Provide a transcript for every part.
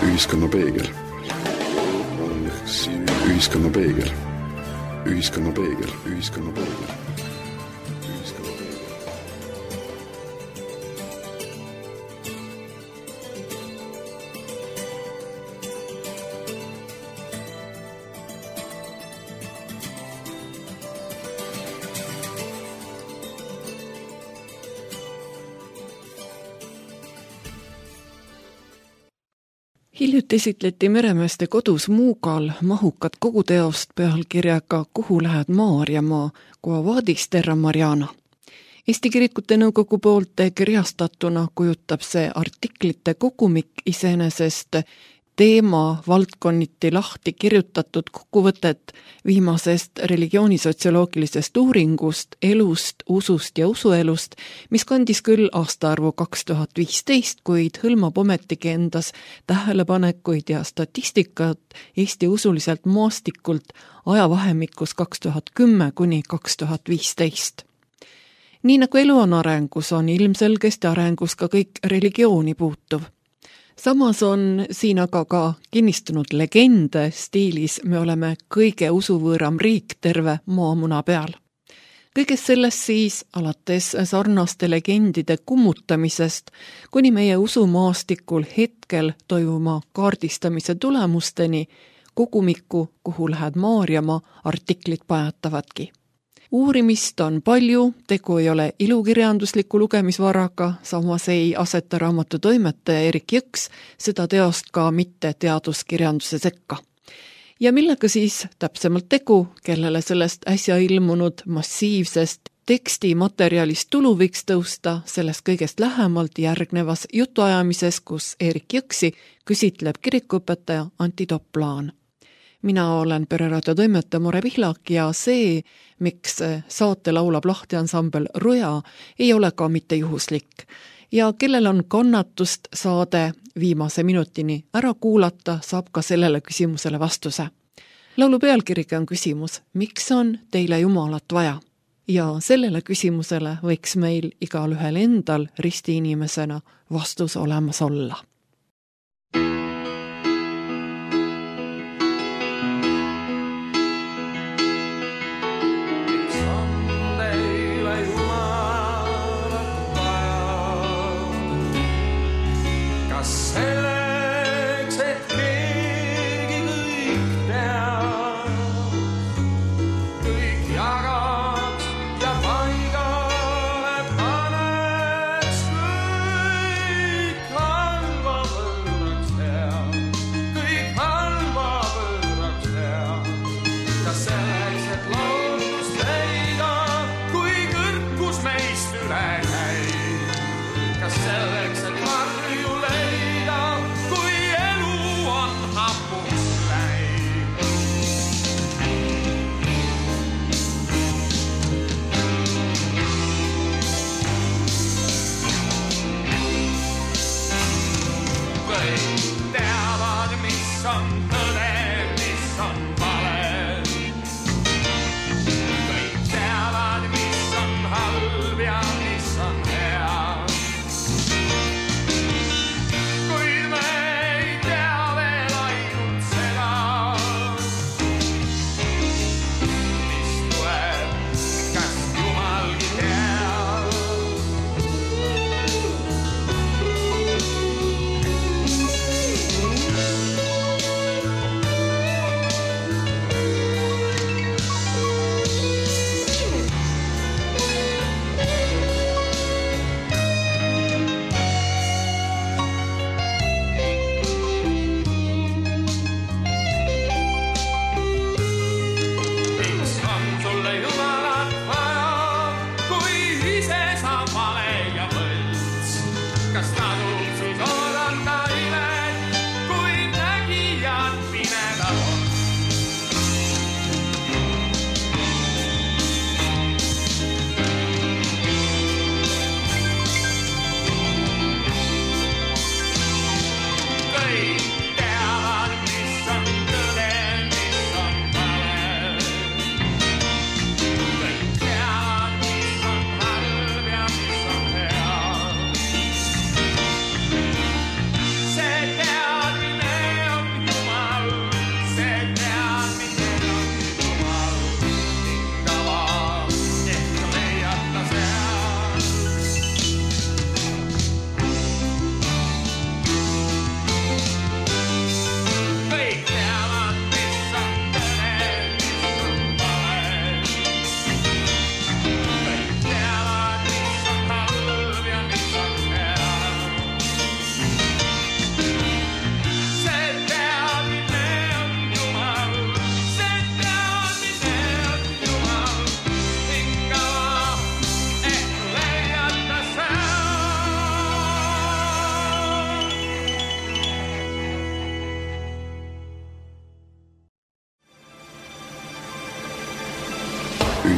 Ühiskonna peegel. Ühiskonna peegel. Ühiskonna peegel. Ühiskonna peegel. Hiljuti esitleti Meremeeste kodus Muugal mahukat koguteost pealkirjaga Kuhu lähed Maarjamaa, Quo vadis terra Mariana. Eesti Kirikute Nõukogu poolt kirjastatuna kujutab see artiklite kogumik iseenesest teema valdkonniti lahti kirjutatud kokkuvõtet viimasest religioonisotsioloogilisest uuringust, elust, usust ja usuelust, mis kandis küll aastaarvu 2015, kuid hõlmab ometigi endas tähelepanekuid ja statistikat Eesti usuliselt maastikult ajavahemikus 2010 kuni 2015. Nii nagu elu on arengus, on ilmselgesti arengus ka kõik religiooni puutuv. Samas on siin aga ka kinnistunud legende stiilis me oleme kõige usuvõõram riik terve maamuna peal. Kõigest sellest siis alates sarnaste legendide kummutamisest kuni meie usumaastikul hetkel toimuma kaardistamise tulemusteni kogumiku Kuhu lähed Maarjamaa artiklid pajatavadki. Uurimist on palju, tegu ei ole ilukirjandusliku lugemisvaraga, samas ei aseta raamatu toimetaja Erik Jõks seda teost ka mitte teaduskirjanduse sekka. Ja millega siis täpsemalt tegu, kellele sellest äsja ilmunud massiivsest tekstimaterjalist tulu võiks tõusta, sellest kõigest lähemalt järgnevas jutuajamises, kus Erik Jõksi küsitleb kirikuõpetaja Antti Toplaan. Mina olen Pereraadio toimetaja More Pihlak ja see, miks saate laulab lahtiansambel Ruja, ei ole ka mitte juhuslik. Ja kellel on kannatust saade viimase minutini ära kuulata, saab ka sellele küsimusele vastuse. Laulu pealkirjaga on küsimus, miks on teile Jumalat vaja? Ja sellele küsimusele võiks meil igalühel endal ristiinimesena vastus olemas olla.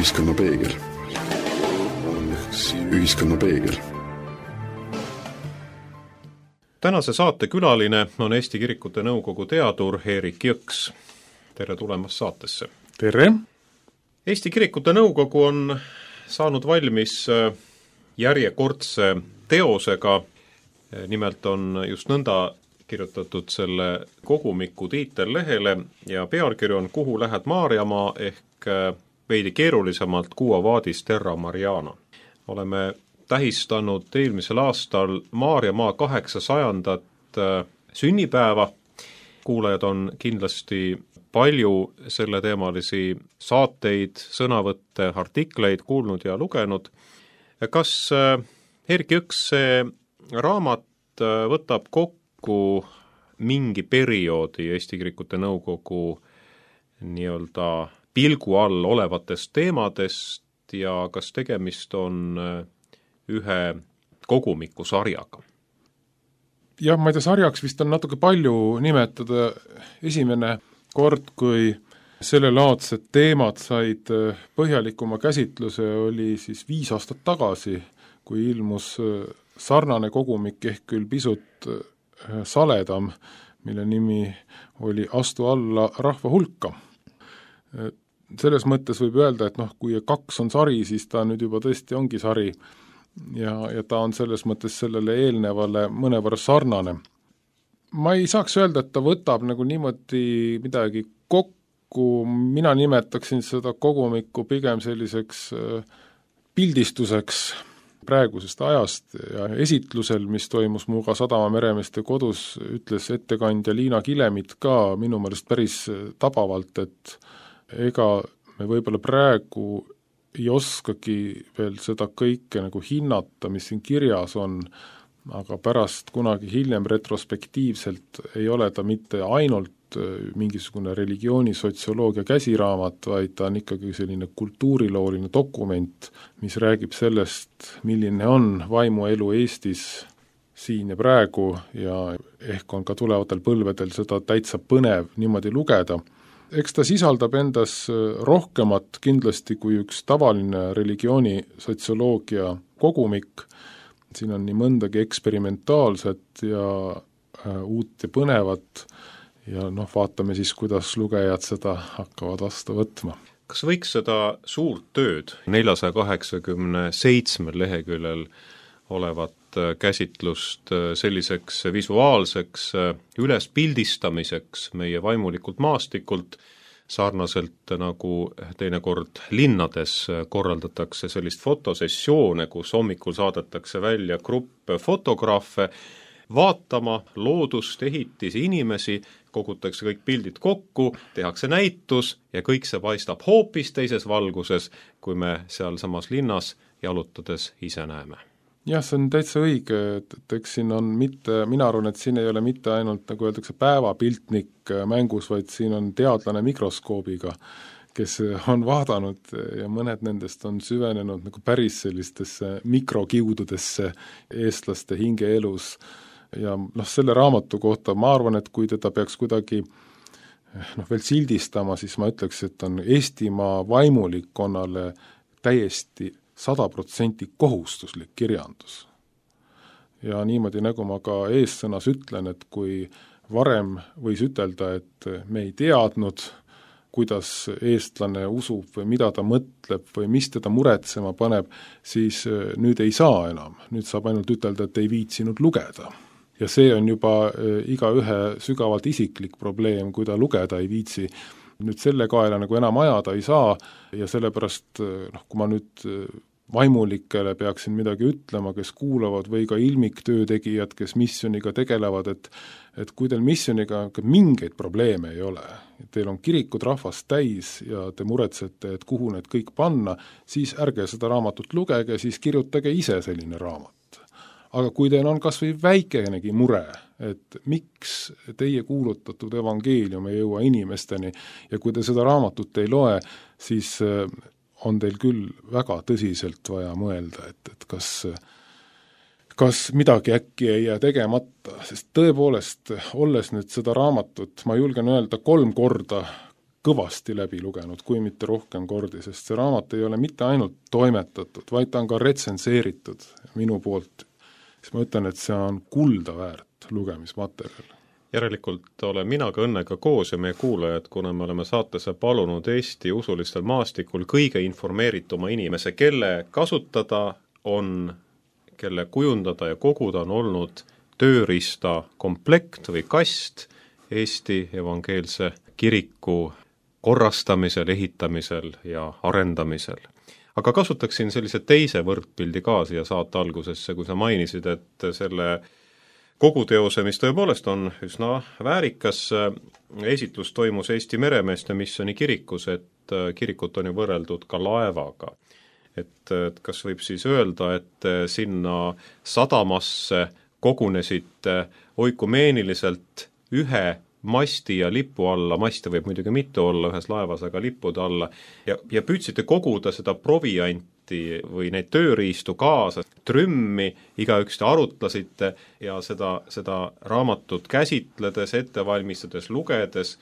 Ühiskonnapeegel. Ühiskonnapeegel. Tänase saate külaline on Eesti Kirikute Nõukogu teadur Eerik Jõks. Tere tulemast saatesse! Tere! Eesti Kirikute Nõukogu on saanud valmis järjekordse teosega, nimelt on just nõnda kirjutatud selle kogumiku tiitel lehele ja pealkiri on Kuhu lähed Maarjamaa ehk veidi keerulisemalt Quo vadis terra Mariana. Oleme tähistanud eelmisel aastal Maarjamaa 800. sünnipäeva. Kuulajad on kindlasti palju selleteemalisi saateid, sõnavõtte, artikleid kuulnud ja lugenud. Kas Eerik Jõks, see raamat võtab kokku mingi perioodi Eesti Kirikute Nõukogu nii-öelda pilgu all olevatest teemadest ja kas tegemist on ühe kogumiku sarjaga? Jah, ma ei tea, sarjaks vist on natuke palju nimetada. Esimene kord, kui sellelaadsed teemad said põhjalikuma käsitluse, oli siis 5 aastat tagasi, kui ilmus sarnane kogumik ehk küll pisut saledam, mille nimi oli Astu alla rahva hulka. Selles mõttes võib öelda, et kui 2 on sari, siis ta nüüd juba tõesti ongi sari ja ta on selles mõttes sellele eelnevale mõnevõrra sarnane. Ma ei saaks öelda, et ta võtab nagu niimoodi midagi kokku, mina nimetaksin seda kogumikku pigem selliseks pildistuseks praegusest ajast ja esitlusel, mis toimus Muuga Sadama meremeeste kodus, ütles ettekandja Liina Kilemit ka minu meelest päris tabavalt, et ega me võib-olla praegu ei oskagi veel seda kõike nagu hinnata, mis siin kirjas on, aga pärast kunagi hiljem retrospektiivselt ei ole ta mitte ainult mingisugune religioonisotsioloogia käsiraamat, vaid ta on ikkagi selline kultuurilooline dokument, mis räägib sellest, milline on vaimuelu Eestis siin ja praegu ja ehk on ka tulevatel põlvedel seda täitsa põnev niimoodi lugeda. Eks ta sisaldab endas rohkemat kindlasti kui üks tavaline religioonisotsioloogia kogumik. Siin on nii mõndagi eksperimentaalset ja uut ja põnevat ja vaatame siis, kuidas lugejad seda hakkavad vastu võtma. Kas võiks seda suurt tööd 487 leheküljel olevat käsitlust selliseks visuaalseks ülespildistamiseks meie vaimulikult maastikult, sarnaselt nagu teinekord linnades korraldatakse sellist fotosessioone, kus hommikul saadetakse välja grupp fotograafe vaatama loodust, ehitisi, inimesi, kogutakse kõik pildid kokku, tehakse näitus ja kõik see paistab hoopis teises valguses, kui me seal samas linnas jalutades ise näeme. Jah, see on täitsa õige, et eks siin on mina arvan, et siin ei ole mitte ainult, nagu öeldakse, päevapiltnik mängus, vaid siin on teadlane mikroskoobiga, kes on vaadanud ja mõned nendest on süvenenud nagu päris sellistesse mikrokiududesse eestlaste hingeelus. Ja selle raamatu kohta ma arvan, et kui teda peaks kuidagi veel sildistama, siis ma ütleks, et on Eestimaa vaimulikkonnale täiesti 100% kohustuslik kirjandus. Ja niimoodi, nagu ma ka eessõnas ütlen, et kui varem võis ütelda, et me ei teadnud, kuidas eestlane usub või mida ta mõtleb või mis teda muretsema paneb, siis nüüd ei saa enam. Nüüd saab ainult ütelda, et ei viitsinud lugeda. Ja see on juba igaühe sügavalt isiklik probleem, kui ta lugeda ei viitsi. Nüüd selle kaela nagu enam ajada ei saa ja sellepärast, kui ma nüüd vaimulikele peaksin midagi ütlema, kes kuulavad või ka ilmiktöötegijad, kes missiooniga tegelevad, et kui teil missiooniga mingeid probleeme ei ole, teil on kirikud rahvast täis ja te muretsete, et kuhu need kõik panna, siis ärge seda raamatut lugege, siis kirjutage ise selline raamat. Aga kui teil on kas või väikenegi mure, et miks teie kuulutatud evangeelium ei jõua inimesteni ja kui te seda raamatut ei loe, siis on teil küll väga tõsiselt vaja mõelda, et kas midagi äkki ei jää tegemata, sest tõepoolest, olles nüüd seda raamatut, ma julgen öelda 3 korda kõvasti läbi lugenud, kui mitte rohkem kordi, sest see raamat ei ole mitte ainult toimetatud, vaid ta on ka retsenseeritud minu poolt. Siis ma ütlen, et see on kulda väärt lugemismaterjal. Järelikult olen mina ka Õnnega koos ja meie kuulajad, kuna me oleme saatesse palunud Eesti usulistel maastikul kõige informeerituma inimese, kelle kasutada on, kelle kujundada ja koguda on olnud tööriista komplekt või kast Eesti evangeelse kiriku korrastamisel, ehitamisel ja arendamisel. Aga kasutaksin sellise teise võrdpildi ka siia saate algusesse, kui sa mainisid, et selle koguteose, mis tõepoolest on üsna väärikas, esitlus toimus Eesti Meremeeste Missioni kirikus, et kirikut on ju võrreldud ka laevaga. Et kas võib siis öelda, et sinna sadamasse kogunesid oikumeeniliselt ühe masti ja lipu alla, maste võib muidugi mitu olla ühes laevas, aga lippude alla, ja püüdsite koguda seda provianti või neid tööriistu kaasa, trümmi, igaüks te arutlesite ja seda raamatut käsitledes, ette valmistades, lugedes,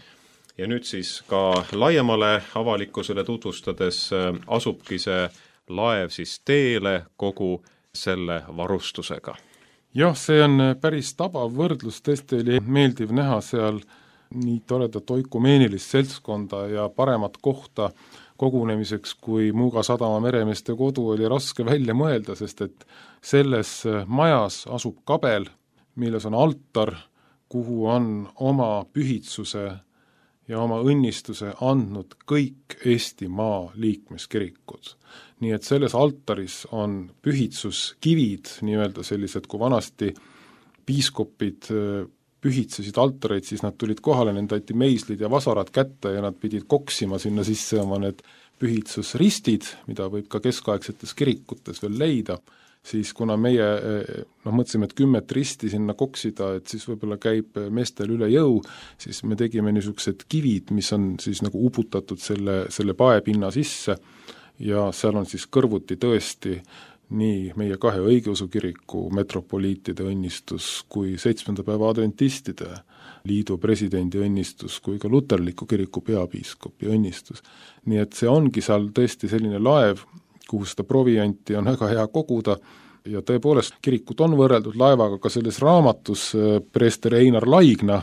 ja nüüd siis ka laiemale avalikkusele tutvustades asubki see laev siis teele kogu selle varustusega. Jah, see on päris tabav võrdlus, tõesti oli meeldiv näha seal nii toredat oikumeenilist seltskonda ja paremat kohta kogunemiseks, kui Muuga sadama meremeeste kodu oli raske välja mõelda, sest et selles majas asub kabel, milles on altar, kuhu on oma pühitsuse ja oma õnnistuse andnud kõik Eestimaa liikmeskirikud. Nii et selles altaris on pühitsuskivid, nii-öelda sellised, kui vanasti piiskopid pühitsesid altareid, siis nad tulid kohale, nende aiti meislid ja vasarad kätte ja nad pidid koksima sinna sisse oma need pühitsusristid, mida võib ka keskaegsetes kirikutes veel leida, siis kuna meie mõtlesime, et 10 risti sinna koksida, et siis võib-olla käib meestel üle jõu, siis me tegime niisugused kivid, mis on siis nagu uputatud selle paepinna sisse ja seal on siis kõrvuti tõesti nii meie 2 õigeusu kiriku metropoliitide õnnistus kui 7. päeva adventistide liidu presidendi õnnistus kui ka luterliku kiriku peapiiskopi õnnistus. Nii et see ongi seal tõesti selline laev, kuhu seda provianti on väga hea koguda ja tõepoolest kirikut on võrreldud laevaga, ka selles raamatus preester Einar Laigna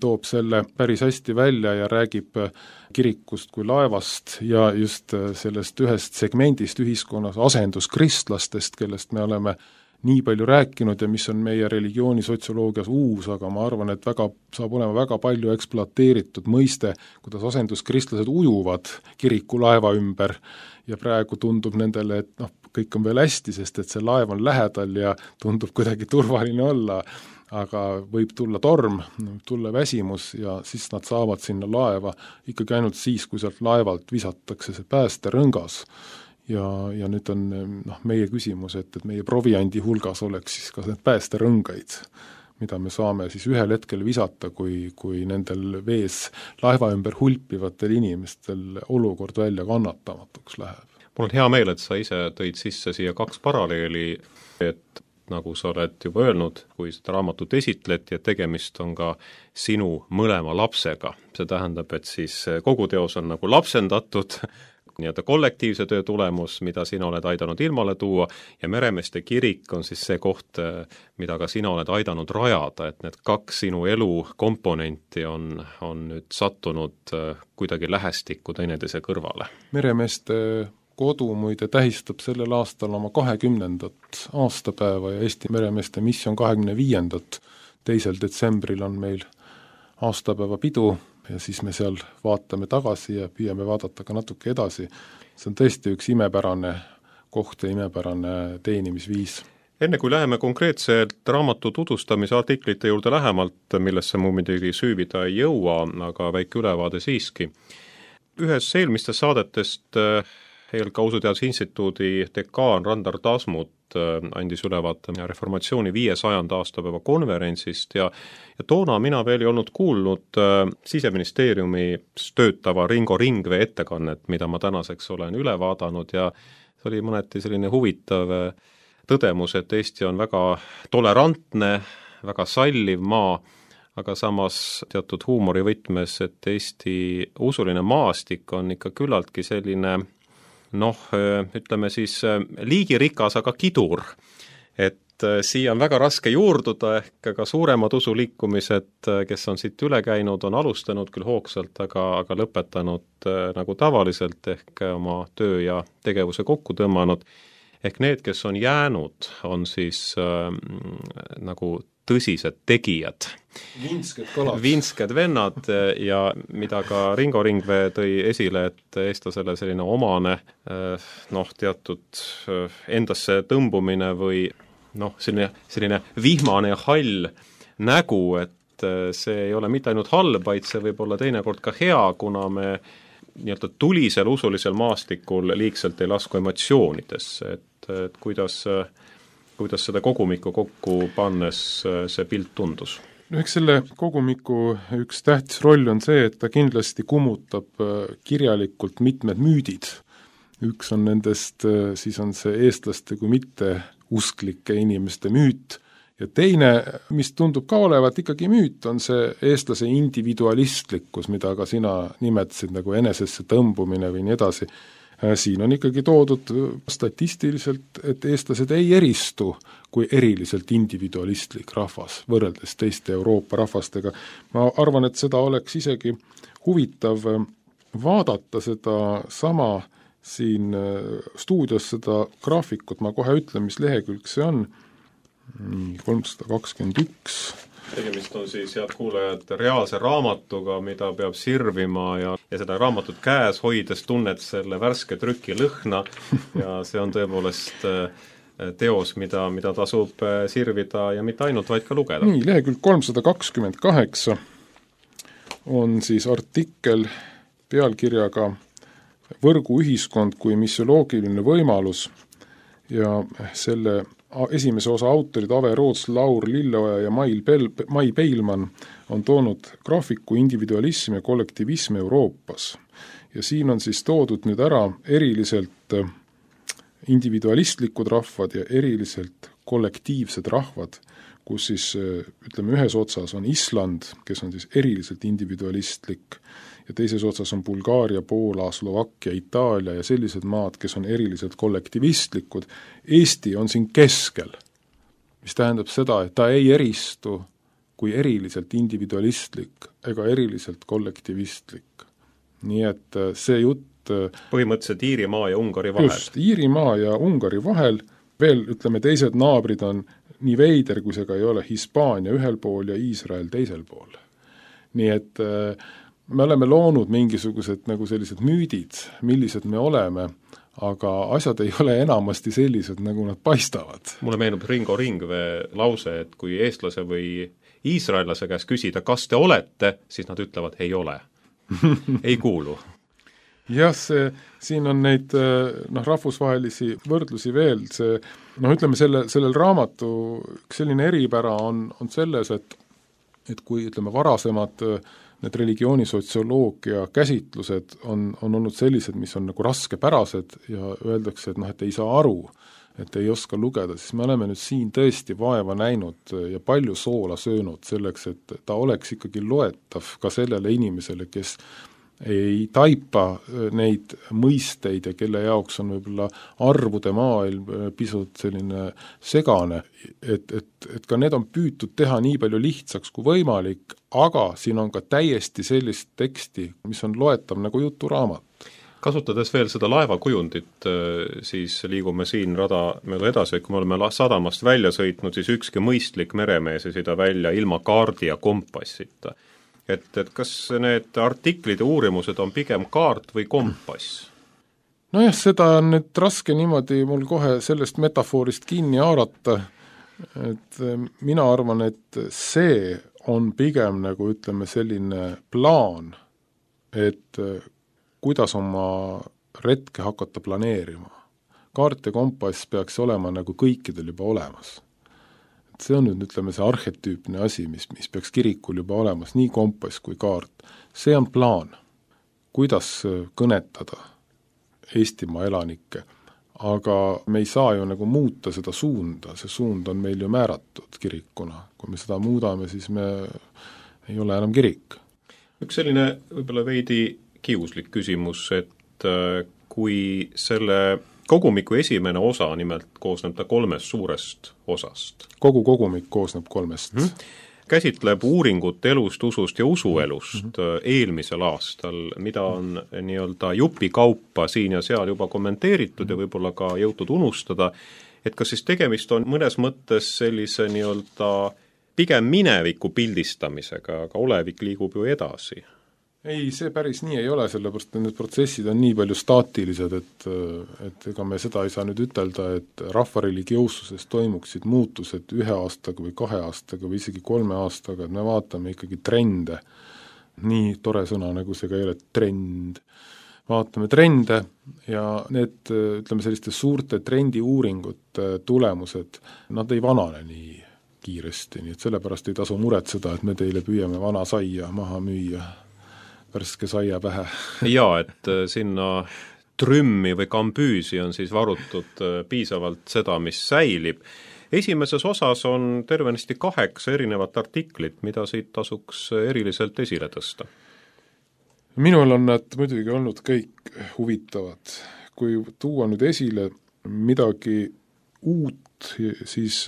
toob selle päris hästi välja ja räägib kirikust kui laevast ja just sellest ühest segmendist ühiskonnas asenduskristlastest, kellest me oleme nii palju rääkinud ja mis on meie religiooni sotsioloogias uus, aga ma arvan, et saab olema väga palju ekspluateeritud mõiste, kuidas asenduskristlased ujuvad kirikulaeva ümber ja praegu tundub nendele, et kõik on veel hästi, sest et see laev on lähedal ja tundub kuidagi turvaline olla, aga võib tulla torm, tulla väsimus ja siis nad saavad sinna laeva ikkagi ainult siis, kui sealt laevalt visatakse see päästerõngas. Ja nüüd on meie küsimus, et meie proviandi hulgas oleks siis ka need päästerõngaid, mida me saame siis ühel hetkel visata, kui nendel vees laeva ümber hulpivatel inimestel olukord välja kannatamatuks läheb. Mul on hea meel, et sa ise tõid sisse siia 2 paralleeli, et nagu sa oled juba öelnud, kui seda raamatut esitleti, et tegemist on ka sinu mõlema lapsega. See tähendab, et siis kogu teos on nagu lapsendatud, nii-öelda kollektiivse töö tulemus, mida sina oled aidanud ilmale tuua, ja Meremeeste kirik on siis see koht, mida ka sina oled aidanud rajada, et need 2 sinu elu komponenti on nüüd sattunud kuidagi lähestikku teineteise kõrvale. Meremeeste kodu muide tähistab sellel aastal oma 20. aastapäeva ja Eesti Meremeeste Mission 25. 2. detsembril on meil aastapäeva pidu ja siis me seal vaatame tagasi ja püüame vaadata ka natuke edasi. See on tõesti üks imepärane koht ja imepärane teenimisviis. Enne kui läheme konkreetselt raamatu tutvustamise artiklite juurde lähemalt, millesse mu muidugi süüvida ei jõua, aga väike ülevaade siiski. Ühes eelmistest saadetest ELK Usuteaduse Instituudi dekaan Randar Tasmut andis ülevaate reformatsiooni 500. aastapäeva konverentsist ja toona mina veel ei olnud kuulnud Siseministeeriumis töötava Ringo Ringvee ettekannet, mida ma tänaseks olen üle vaadanud ja see oli mõneti selline huvitav tõdemus, et Eesti on väga tolerantne, väga salliv maa, aga samas teatud huumorivõtmes, et Eesti usuline maastik on ikka küllaltki selline ütleme siis liigirikas, aga kidur. Et siia on väga raske juurduda, ehk ka suuremad usuliikumised, kes on siit üle käinud, on alustanud küll hoogsalt, aga lõpetanud nagu tavaliselt, ehk oma töö ja tegevuse kokku tõmmanud. Ehk need, kes on jäänud, on siis nagu tõsised tegijad. Vinsked vennad ja mida ka Ringo Ringvee tõi esile, et eestlasele selline omane teatud endasse tõmbumine või selline vihmane ja hall nägu, et see ei ole mitte ainult halb, vaid see võib olla teinekord ka hea, kuna me nii-öelda tulisel usulisel maastikul liigselt ei lasku emotsioonidesse, et kuidas seda kogumikku kokku pannes see pilt tundus? Eks selle kogumiku üks tähtis roll on see, et ta kindlasti kummutab kirjalikult mitmed müüdid. Üks on nendest, siis on see eestlaste kui mitte usklike inimeste müüt, ja teine, mis tundub ka olevat ikkagi müüt, on see eestlase individualistlikkus, mida ka sina nimetasid nagu enesesse tõmbumine või nii edasi. Siin on ikkagi toodud statistiliselt, et eestlased ei eristu kui eriliselt individualistlik rahvas, võrreldes teiste Euroopa rahvastega. Ma arvan, et seda oleks isegi huvitav vaadata seda sama siin stuudios seda graafikut, ma kohe ütlen, mis lehekülg see on, 321. Tegemist on siis, head kuulajad, reaalse raamatuga, mida peab sirvima ja seda raamatut käes hoides tunned selle värske trüki lõhna ja see on tõepoolest teos, mida tasub sirvida ja mitte ainult, vaid ka lugeda. Nii, lehekülg 328 on siis artikkel pealkirjaga Võrguühiskond kui missioloogiline võimalus ja selle esimese osa autorid Ave Roots, Laur Lilleoja ja Mai Peilmann on toonud graafiku individualism ja kollektivism Euroopas. Ja siin on siis toodud nüüd ära eriliselt individualistlikud rahvad ja eriliselt kollektiivsed rahvad, kus siis ütleme ühes otsas on Island, kes on siis eriliselt individualistlik, ja teises otsas on Bulgaaria, Poola, Slovakkia, Itaalia ja sellised maad, kes on eriliselt kollektivistlikud. Eesti on siin keskel, mis tähendab seda, et ta ei eristu kui eriliselt individualistlik ega eriliselt kollektivistlik. Nii et see jutt põhimõtteliselt Iirimaa ja Ungari vahel. Just, Iirimaa ja Ungari vahel, veel ütleme teised naabrid on nii veider, kui see ka ei ole, Hispaania ühel pool ja Iisrael teisel pool. Nii et me oleme loonud mingisugused nagu sellised müüdid, millised me oleme, aga asjad ei ole enamasti sellised, nagu nad paistavad. Mulle meenub Ringo Ringvee lause, et kui eestlase või iisraellase käest küsida, kas te olete, siis nad ütlevad, ei ole. Ei kuulu. Jah, siin on neid rahvusvahelisi võrdlusi veel. Ütleme, sellel raamatu selline eripära on selles, et kui ütleme varasemad need religioonisotsioloogia käsitlused on olnud sellised, mis on nagu raskepärased ja öeldakse, et ei saa aru, et ei oska lugeda, siis me oleme nüüd siin tõesti vaeva näinud ja palju soola söönud selleks, et ta oleks ikkagi loetav ka sellele inimesele, kes ei taipa neid mõisteid ja kelle jaoks on võib-olla arvude maailm pisut selline segane, et ka need on püütud teha nii palju lihtsaks kui võimalik, aga siin on ka täiesti sellist teksti, mis on loetav nagu juturaamat. Kasutades veel seda laevakujundit, siis liigume siin rada mööda edasi, kui me oleme sadamast välja sõitnud, siis ükski mõistlik meremees ei sõida välja ilma kaardi ja kompassita. Et kas need artiklid ja uurimused on pigem kaart või kompass? Nojah, seda on nüüd raske niimoodi mul kohe sellest metafoorist kinni haarata, et mina arvan, et see on pigem nagu ütleme selline plaan, et kuidas oma retke hakata planeerima. Kaart ja kompass peaks olema nagu kõikidel juba olemas. See on nüüd, ütleme, see arhetüüpne asi, mis peaks kirikul juba olemas, nii kompass kui kaart. See on plaan, kuidas kõnetada Eestimaa elanikke, aga me ei saa ju nagu muuta seda suunda, see suund on meil ju määratud kirikuna. Kui me seda muudame, siis me ei ole enam kirik. Üks selline võib-olla veidi kiuslik küsimus, et kui selle kogumiku esimene osa, nimelt koosneb ta 3 suurest osast. Kogu kogumik koosneb 3. Käsitleb uuringut elust, usust ja usuelust eelmisel aastal, mida on nii-öelda jupikaupa siin ja seal juba kommenteeritud ja võib-olla ka jõutud unustada, et kas siis tegemist on mõnes mõttes sellise nii-öelda pigem mineviku pildistamisega, aga olevik liigub ju edasi? Ei, see päris nii ei ole, sellepärast et need protsessid on nii palju staatilised, et ega me seda ei saa nüüd ütelda, et rahvareligioossuses toimuksid muutused 1 aastaga või 2 aastaga või isegi 3 aastaga, et me vaatame ikkagi trende, nii tore sõna nagu see ka ei ole, trend, vaatame trende ja need, ütleme, selliste suurte trendiuuringute tulemused, nad ei vanane nii kiiresti, nii et sellepärast ei tasu muretseda, et me teile püüame vana saia maha müüa värske saia pähe. Jaa, et sinna trümmi või kambüüsi on siis varutud piisavalt seda, mis säilib. Esimeses osas on tervenisti 8 erinevat artiklit, mida siit tasuks eriliselt esile tõsta. Minul on nad muidugi olnud kõik huvitavad. Kui tuua nüüd esile midagi uut, siis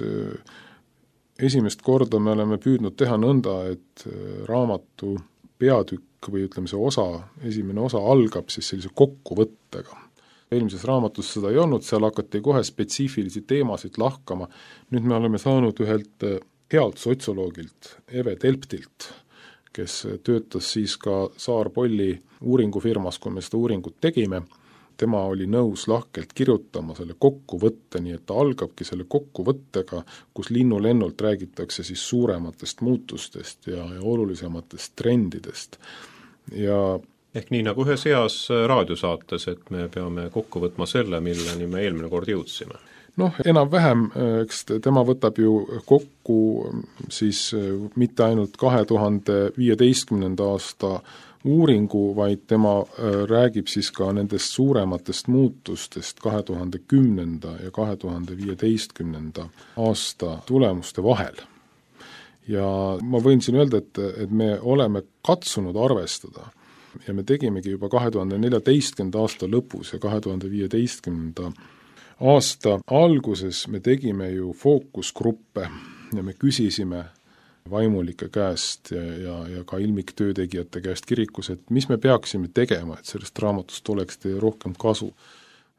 esimest korda me oleme püüdnud teha nõnda, et raamatu peatükk või ütleme see osa, esimene osa algab siis sellise kokkuvõttega. Eelmises raamatus seda ei olnud, seal hakati kohe spetsiifilisi teemasid lahkama. Nüüd me oleme saanud ühelt healt sotsioloogilt, Eve Telptilt, kes töötas siis ka Saar-Polli uuringufirmas, kui me seda uuringut tegime. Tema oli nõus lahkelt kirjutama selle kokkuvõtte, nii et ta algabki selle kokkuvõttega, kus linnulennult räägitakse siis suurematest muutustest ja olulisematest trendidest. Ja ehk nii nagu ühes heas raadiosaates, et me peame kokku võtma selle, milleni me eelmine kord jõudsime. Noh, enam-vähem, eks tema võtab ju kokku siis mitte ainult 2015. aasta uuringu, vaid tema räägib siis ka nendest suurematest muutustest 2010. ja 2015. aasta tulemuste vahel. Ja ma võin siin öelda, et me oleme katsunud arvestada ja me tegimegi juba 2014. aasta lõpus ja 2015. aasta alguses me tegime ju fookusgruppe ja me küsisime vaimulike käest ja ka ilmiktöötegijate käest kirikus, et mis me peaksime tegema, et sellest raamatust oleks teie rohkem kasu.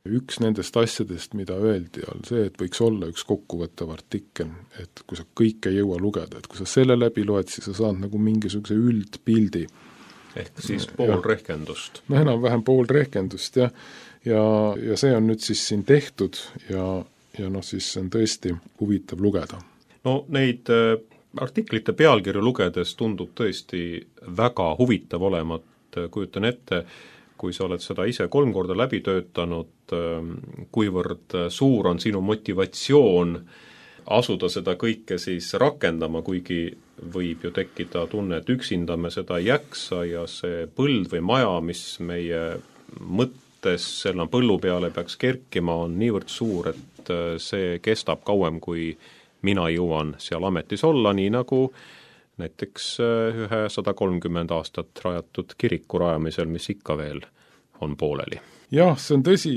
Üks nendest asjadest, mida öeldi, on see, et võiks olla üks kokkuvõttev artikkel, et kui sa kõike ei jõua lugeda, et kui sa selle läbi loed, siis sa saad nagu mingisuguse üldpildi. Ehk siis pool rehkendust. No enam-vähem pool rehkendust, ja see on nüüd siis siin tehtud ja noh, siis on tõesti huvitav lugeda. No neid artiklite pealkirju lugedes tundub tõesti väga huvitav olemat, kujutan ette, kui sa oled seda ise 3 korda läbi töötanud, kuivõrd suur on sinu motivatsioon asuda seda kõike siis rakendama, kuigi võib ju tekkida tunne, et üksinda me seda ei jaksa ja see põld või maja, mis meie mõttes selle põllu peale peaks kerkima, on niivõrd suur, et see kestab kauem, kui mina jõuan seal ametis olla, nii nagu näiteks ühe 130 aastat rajatud kiriku rajamisel, mis ikka veel on pooleli. Jah, see on tõsi.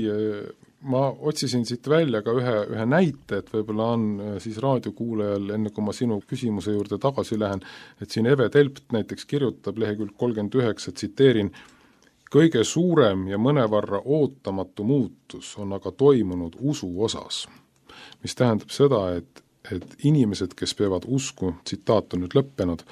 Ma otsisin siit välja ka ühe näite, et võib-olla on siis raadiokuulajal, enne kui ma sinu küsimuse juurde tagasi lähen, et siin Eve Telpt näiteks kirjutab lehekülg 39, tsiteerin, kõige suurem ja mõnevarra ootamatu muutus on aga toimunud usu osas, mis tähendab seda, et inimesed, kes peavad usku, tsitaat on nüüd lõppenud,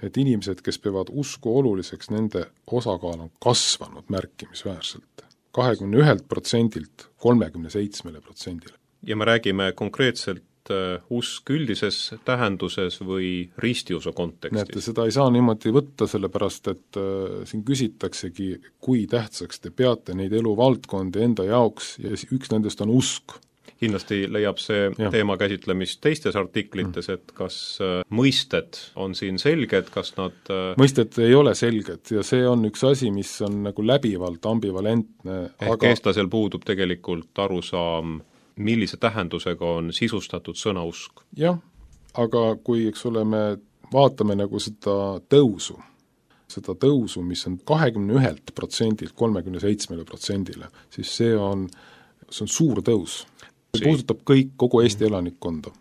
et inimesed, kes peavad usku oluliseks, nende osakaal on kasvanud märkimisväärselt. 21%-lt 37%-le. Ja me räägime konkreetselt usk üldises tähenduses või ristiusu kontekstis? Näete, seda ei saa niimoodi võtta, sellepärast et siin küsitaksegi, kui tähtsaks te peate neid eluvaldkondi enda jaoks ja üks nendest on usk. Kindlasti leiab see teema käsitlemist teistes artiklites, et kas mõisted on siin selged, kas nad mõisted ei ole selged ja see on üks asi, mis on nagu läbivalt ambivalentne. Ehk eestlasel puudub tegelikult arusaam, millise tähendusega on sisustatud sõna usk. Jah, aga kui eks ole me vaatame nagu seda tõusu, mis on 21% 37%, siis see on suur tõus. See puudutab kogu Eesti elanikkonda.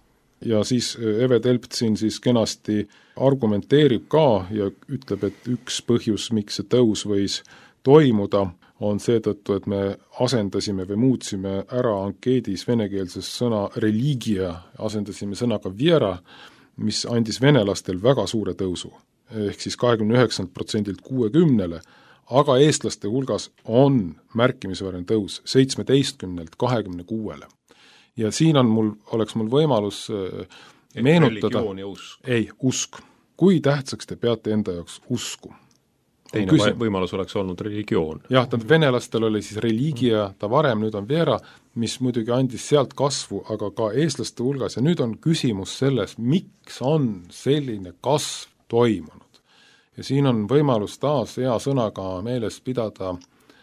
Ja siis Eve Telpt siin siis kenasti argumenteerib ka ja ütleb, et üks põhjus, miks see tõus võis toimuda, on seetõttu, et me asendasime või muutsime ära ankeedis venekeelses sõna religia, asendasime sõnaga viera, mis andis venelastel väga suure tõusu, ehk siis 29% 60%, aga eestlaste hulgas on märkimisväärne tõus 17% 26%. Ja siin oleks mul võimalus meenutada, usk. Kui tähtsaks te peate enda jaoks usku? Teine võimalus oleks olnud religioon. Jah, venelastel oli siis religia, ta varem, nüüd on viera, mis muidugi andis sealt kasvu, aga ka eestlaste hulgas, ja nüüd on küsimus selles, miks on selline kasv toimunud. Ja siin on võimalus taas hea sõnaga meeles pidada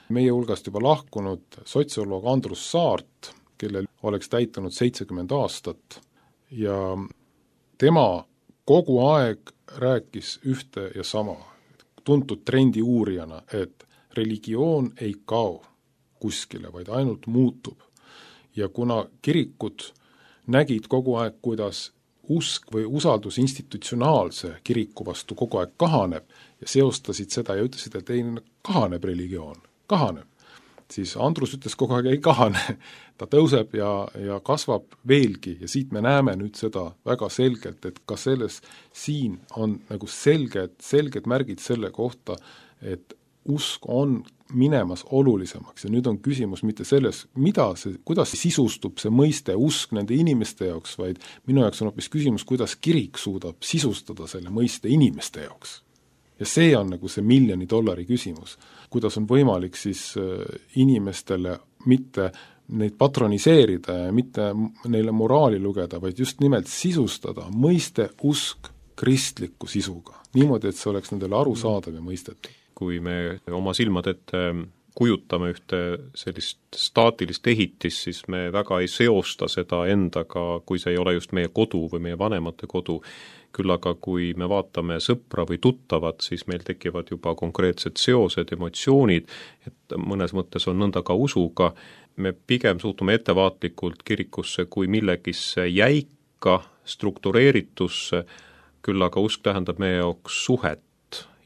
meie hulgast juba lahkunud sotsioloog Andrus Saart, kellel oleks täitunud 70 aastat ja tema kogu aeg rääkis ühte ja sama, tuntud trendi uurijana, et religioon ei kao kuskile, vaid ainult muutub. Ja kuna kirikud nägid kogu aeg, kuidas usk või usaldus institutsionaalse kiriku vastu kogu aeg kahaneb ja seostasid seda ja ütlesid, et ei, kahaneb religioon, kahaneb. Siis Andrus ütles kogu aeg ei kahane, ta tõuseb ja kasvab veelgi ja siit me näeme nüüd seda väga selgelt, et ka siin on nagu selged märgid selle kohta, et usk on minemas olulisemaks ja nüüd on küsimus mitte selles, kuidas sisustub see mõiste usk nende inimeste jaoks, vaid minu jaoks on hoopis küsimus, kuidas kirik suudab sisustada selle mõiste inimeste jaoks. Ja see on nagu see $1 miljoni küsimus, kuidas on võimalik siis inimestele mitte neid patroniseerida ja mitte neile moraali lugeda, vaid just nimelt sisustada mõiste usk kristliku sisuga. Niimoodi, et see oleks nendele arusaadav ja mõistetav. Kui me oma silmad ette kujutame ühte sellist staatilist ehitist, siis me väga ei seosta seda endaga, kui see ei ole just meie kodu või meie vanemate kodu. Küll aga kui me vaatame sõpra või tuttavat, siis meil tekivad juba konkreetsed seosed, emotsioonid, et mõnes mõttes on nõnda ka usuga. Me pigem suhtume ettevaatlikult kirikusse kui millegisse jäika, struktureeritusse, küll aga usk tähendab meie jaoks suhet,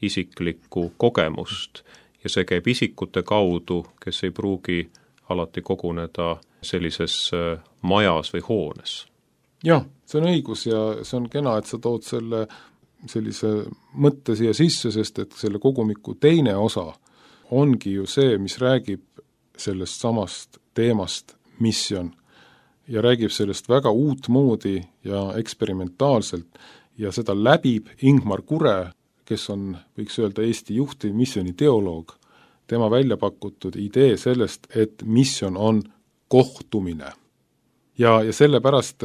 isiklikku kogemust ja see käib isikute kaudu, kes ei pruugi alati koguneda sellises majas või hoones. Jah, see on õigus ja see on kena, et sa tood sellise mõtte siia sisse, sest et selle kogumiku teine osa ongi ju see, mis räägib sellest samast teemast misjon ja räägib sellest väga uutmoodi ja eksperimentaalselt ja seda läbib Ingmar Kure, kes on, võiks öelda, Eesti juhtiv misjoni teoloog, tema välja pakutud idee sellest, et misjon on kohtumine. Ja sellepärast,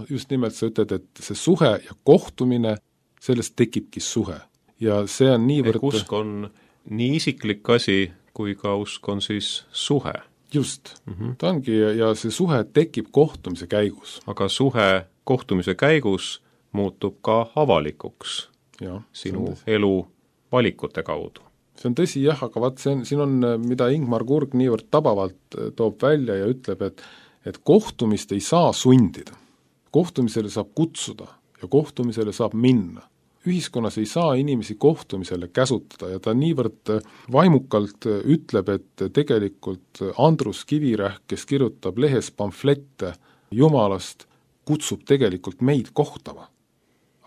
just nimelt sa ütled, et see suhe ja kohtumine, sellest tekibki suhe. Ja see on niivõrd... Usk on nii isiklik asi, kui ka usk on siis suhe. Just, ta ongi ja see suhe tekib kohtumise käigus. Aga suhe kohtumise käigus muutub ka avalikuks ja, sinu elu valikute kaudu. See on tõsi jah, aga siin on, mida Ingmar Kurg niivõrd tabavalt toob välja ja ütleb, et kohtumist ei saa sundida. Kohtumisele saab kutsuda ja kohtumisele saab minna. Ühiskonnas ei saa inimesi kohtumisele käsutada ja ta niivõrd vaimukalt ütleb, et tegelikult Andrus Kivirähk, kes kirjutab lehes pamflette Jumalast, kutsub tegelikult meid kohtama.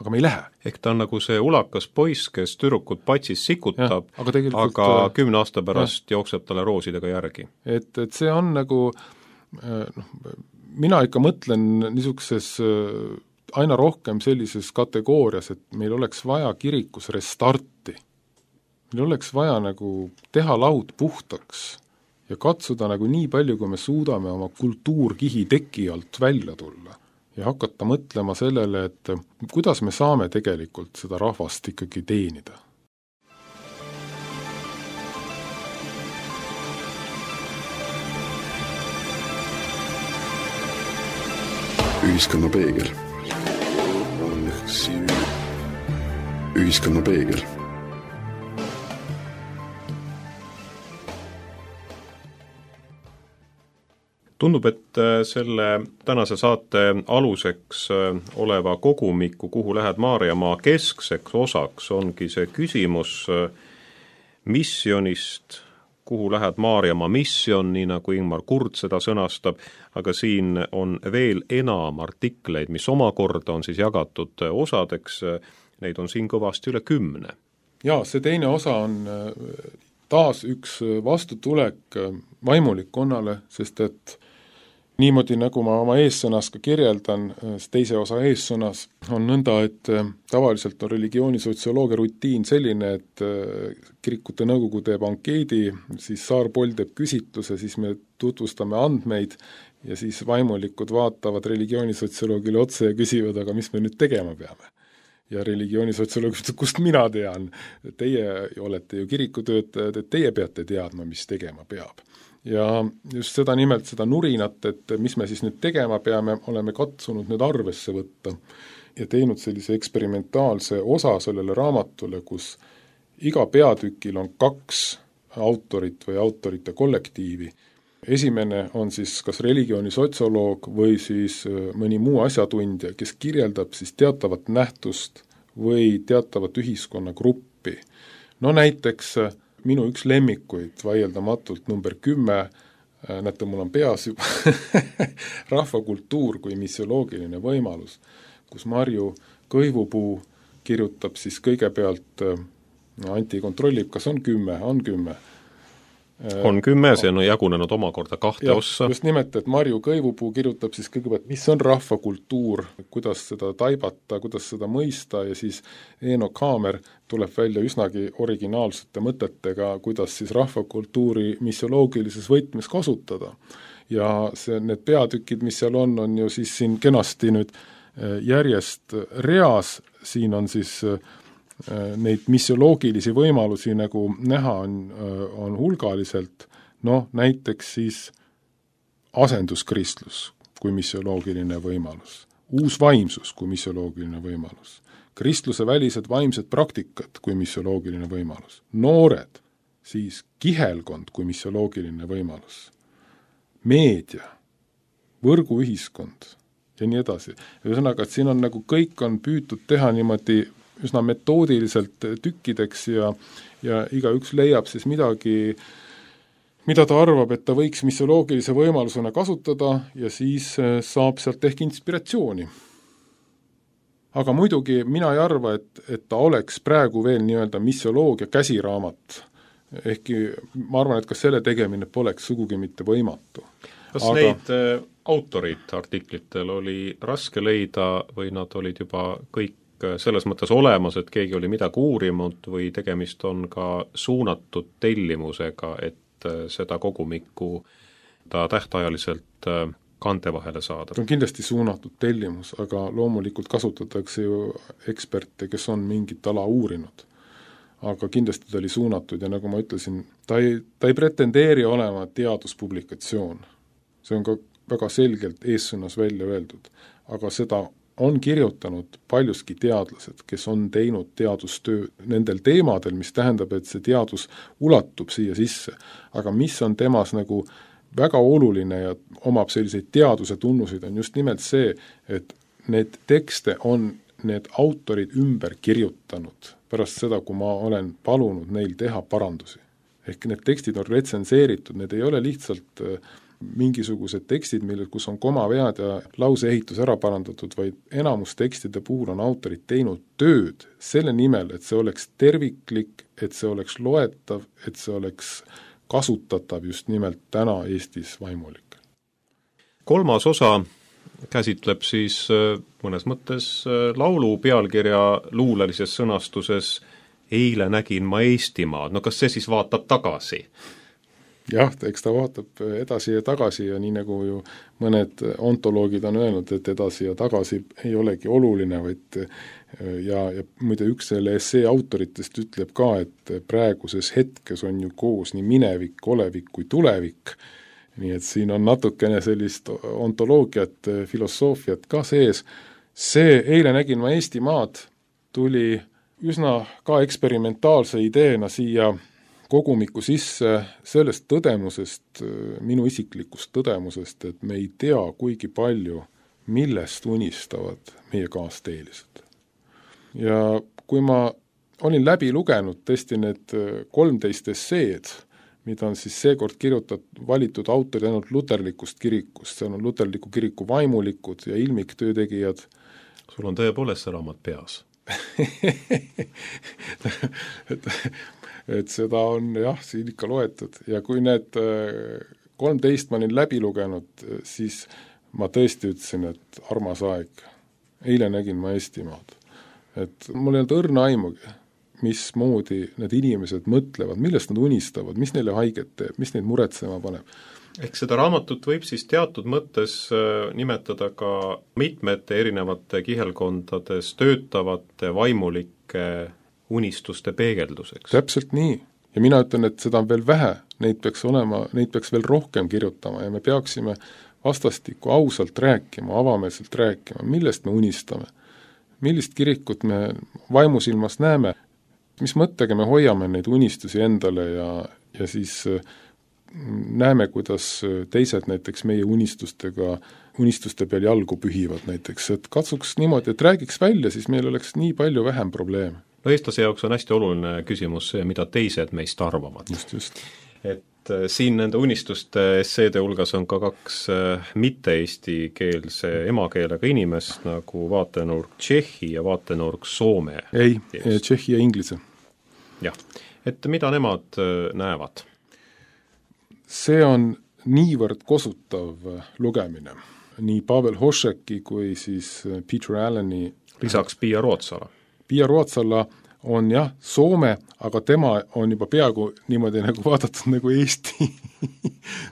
Aga me ei lähe. Ehk ta on nagu see ulakas poiss, kes tüdrukut patsis sikutab, aga 10 aasta pärast jookseb talle roosidega järgi. Et see on nagu, mina ikka mõtlen niisuguses aina rohkem sellises kategoorias, et meil oleks vaja kirikus restarti. Meil oleks vaja nagu teha laud puhtaks ja katsuda nagu nii palju, kui me suudame oma kultuurkihi teki alt välja tulla. Ja hakata mõtlema sellele, et kuidas me saame tegelikult seda rahvast ikkagi teenida. Ühiskonna peegel. Ühiskonnapeegel. Tundub, et selle tänase saate aluseks oleva kogumiku Kuhu lähed Maarjamaa keskseks osaks ongi see küsimus missionist, kuhu lähed Maarjamaa mission, nii nagu Ingmar Kurt seda sõnastab, aga siin on veel enam artikleid, mis omakorda on siis jagatud osadeks, neid on siin kõvasti üle 10. Jaa, see teine osa on taas üks vastutulek vaimulikkonnale, sest et niimoodi, nagu ma oma eessõnas ka kirjeldan, teise osa eessõnas on nõnda, et tavaliselt on religioonisotsioloogia rutiin selline, et kirikute nõukogu teeb ankeedi, siis Saar-Poll teeb küsitluse, siis me tutvustame andmeid ja siis vaimulikud vaatavad religioonisotsioloogile otsa ja küsivad, aga mis me nüüd tegema peame. Ja religioonisotsioloog ütleb, kust mina tean, teie olete ju kirikutöötajad, et teie peate teadma, mis tegema peab. Ja just seda nimelt, seda nurinat, et mis me siis nüüd tegema peame, oleme katsunud nüüd arvesse võtta ja teinud sellise eksperimentaalse osa sellele raamatule, kus iga peatükil on 2 autorit või autorite kollektiivi. Esimene on siis kas religioonisotsioloog või siis mõni muu asjatundja, kes kirjeldab siis teatavat nähtust või teatavat ühiskonnagruppi. No näiteks minu üks lemmikuid vaieldamatult number 10, näete, mul on peas juba rahvakultuur kui missioloogiline võimalus, kus Marju Kõivupuu kirjutab siis kõigepealt, Anti kontrollib, kas on 10, on 10. On 10, see on jagunenud omakorda 2 ossa. Just nimelt, et Marju Kõivupuu kirjutab siis kõigepealt, mis on rahvakultuur, kuidas seda taibata, kuidas seda mõista ja siis Eino Kaamer tuleb välja üsnagi originaalsete mõtetega, kuidas siis rahvakultuuri missioloogilises võtmes kasutada. Ja need peatükid, mis seal on ju siis siin kenasti nüüd järjest reas, siin on siis neid missioloogilisi võimalusi nagu näha on hulgaliselt, näiteks siis asenduskristlus kui missioloogiline võimalus, uus vaimsus kui missioloogiline võimalus, kristluse välised vaimsed praktikad kui missioloogiline võimalus, noored, siis kihelkond kui missioloogiline võimalus, meedia, võrguühiskond ja nii edasi. Ühesõnaga, et siin on nagu kõik on püütud teha niimoodi üsna metoodiliselt tükkideks ja igaüks leiab siis midagi, mida ta arvab, et ta võiks missioloogilise võimalusena kasutada ja siis saab sealt ehk inspiratsiooni. Aga muidugi mina ei arva, et ta oleks praegu veel nii-öelda missioloogia käsiraamat. Ehkki ma arvan, et ka selle tegemine poleks sugugi mitte võimatu. Kas neid autorid artiklitel oli raske leida või nad olid juba kõik selles mõttes olemas, et keegi oli midagi uurinud või tegemist on ka suunatud tellimusega, et seda kogumikku ta tähtajaliselt kante vahele saada? On kindlasti suunatud tellimus, aga loomulikult kasutatakse ju eksperte, kes on mingit ala uurinud. Aga kindlasti ta oli suunatud ja nagu ma ütlesin, ta ei pretendeeri olema teaduspublikatsioon. See on ka väga selgelt eessõnas välja öeldud, aga seda on kirjutanud paljuski teadlased, kes on teinud teadustöö nendel teemadel, mis tähendab, et see teadus ulatub siia sisse. Aga mis on temas nagu väga oluline ja omab selliseid teaduse tunnuseid, on just nimelt see, et need tekste on need autorid ümber kirjutanud pärast seda, kui ma olen palunud neil teha parandusi. Ehk need tekstid on retsenseeritud, need ei ole lihtsalt mingisugused tekstid, kus on komavead ja lauseehitus ära parandatud, vaid enamus tekstide puhul on autorid teinud tööd selle nimel, et see oleks terviklik, et see oleks loetav, et see oleks kasutatav just nimelt täna Eestis vaimulikel. 3. osa käsitleb siis mõnes mõttes laulu pealkirja luulelises sõnastuses Eile nägin ma Eestimaad. No kas see siis vaatab tagasi? Jah, eks ta vaatab edasi ja tagasi ja nii nagu ju mõned ontoloogid on öelnud, et edasi ja tagasi ei olegi oluline, vaid ja muide üks selle essee autoritest ütleb ka, et praeguses hetkes on ju koos nii minevik, olevik kui tulevik, nii et siin on natukene sellist ontoloogiat, filosoofiat ka sees. See Eile nägin ma Eestimaad tuli üsna ka eksperimentaalse ideena siia kogumiku sisse sellest tõdemusest, minu isiklikust tõdemusest, et me ei tea kuigi palju, millest unistavad meie kaasteelised. Ja kui ma olin läbi lugenud tõesti need 13 esseed, mida on siis seekord valitud autorid ainult luterlikust kirikust, seal on luterliku kiriku vaimulikud ja ilmiktöötegijad. Sul on tõepoolest see raamat peas. et seda on jah, siin ikka loetud ja kui need 13 ma olin läbi lugenud, siis ma tõesti ütlesin, et armas aeg, eile nägin ma Eestimaad. Et mul ei olnud õrna aimugi, mismoodi need inimesed mõtlevad, millest nad unistavad, mis neile haiget teeb, mis neid muretsema paneb. Ehk seda raamatut võib siis teatud mõttes nimetada ka mitmete erinevate kihelkondades töötavate vaimulike unistuste peegelduseks. Täpselt nii. Ja mina ütlen, et seda on veel vähe, neid peaks veel rohkem kirjutama ja me peaksime vastastikku ausalt rääkima, avameelselt rääkima, millest me unistame, millist kirikut me vaimusilmas näeme, mis mõttega me hoiame neid unistusi endale ja siis näeme, kuidas teised näiteks meie unistuste peal jalgu pühivad näiteks, et katsuks niimoodi, et räägiks välja, siis meil oleks nii palju vähem probleeme. No eestlase jaoks on hästi oluline küsimus see, mida teised meist arvavad. Just. Et siin nende unistuste esseede hulgas on ka 2 mitte-eestikeelse emakeelega inimest, nagu vaatenurk Tšehhi ja vaatenurk Soome. Ei, Tšehhi ja Inglise. Jah, et mida nemad näevad? See on niivõrd kosutav lugemine. Nii Pavel Hošeki kui siis Peter Alleni. Lisaks Pia Ruotsala. Pia Ruotsala on jah, Soome, aga tema on juba peaaegu niimoodi nagu vaadatud nagu Eesti.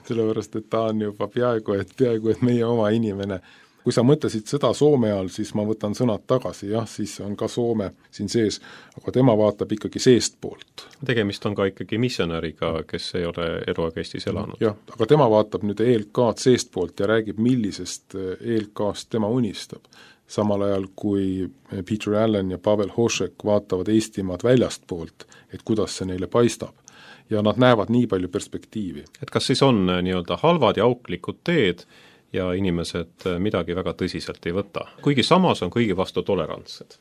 Sellepärast, et ta on juba peaaegu et meie oma inimene. Kui sa mõtlesid seda Soome all, siis ma võtan sõnad tagasi, jah, siis on ka Soome siin sees, aga tema vaatab ikkagi seest poolt. Tegemist on ka ikkagi missionäriga, kes ei ole eluaeg Eestis elanud. Jah, aga tema vaatab nüüd ELK-d seest poolt ja räägib, millisest ELK-st tema unistab. Samal ajal kui Peter Allen ja Pavel Hošek vaatavad Eestimaad väljast poolt, et kuidas see neile paistab. Ja nad näevad nii palju perspektiivi. Et kas siis on nii-öelda halvad ja auklikud teed ja inimesed midagi väga tõsiselt ei võta? Kuigi samas on kõigi vastu tolerantsed.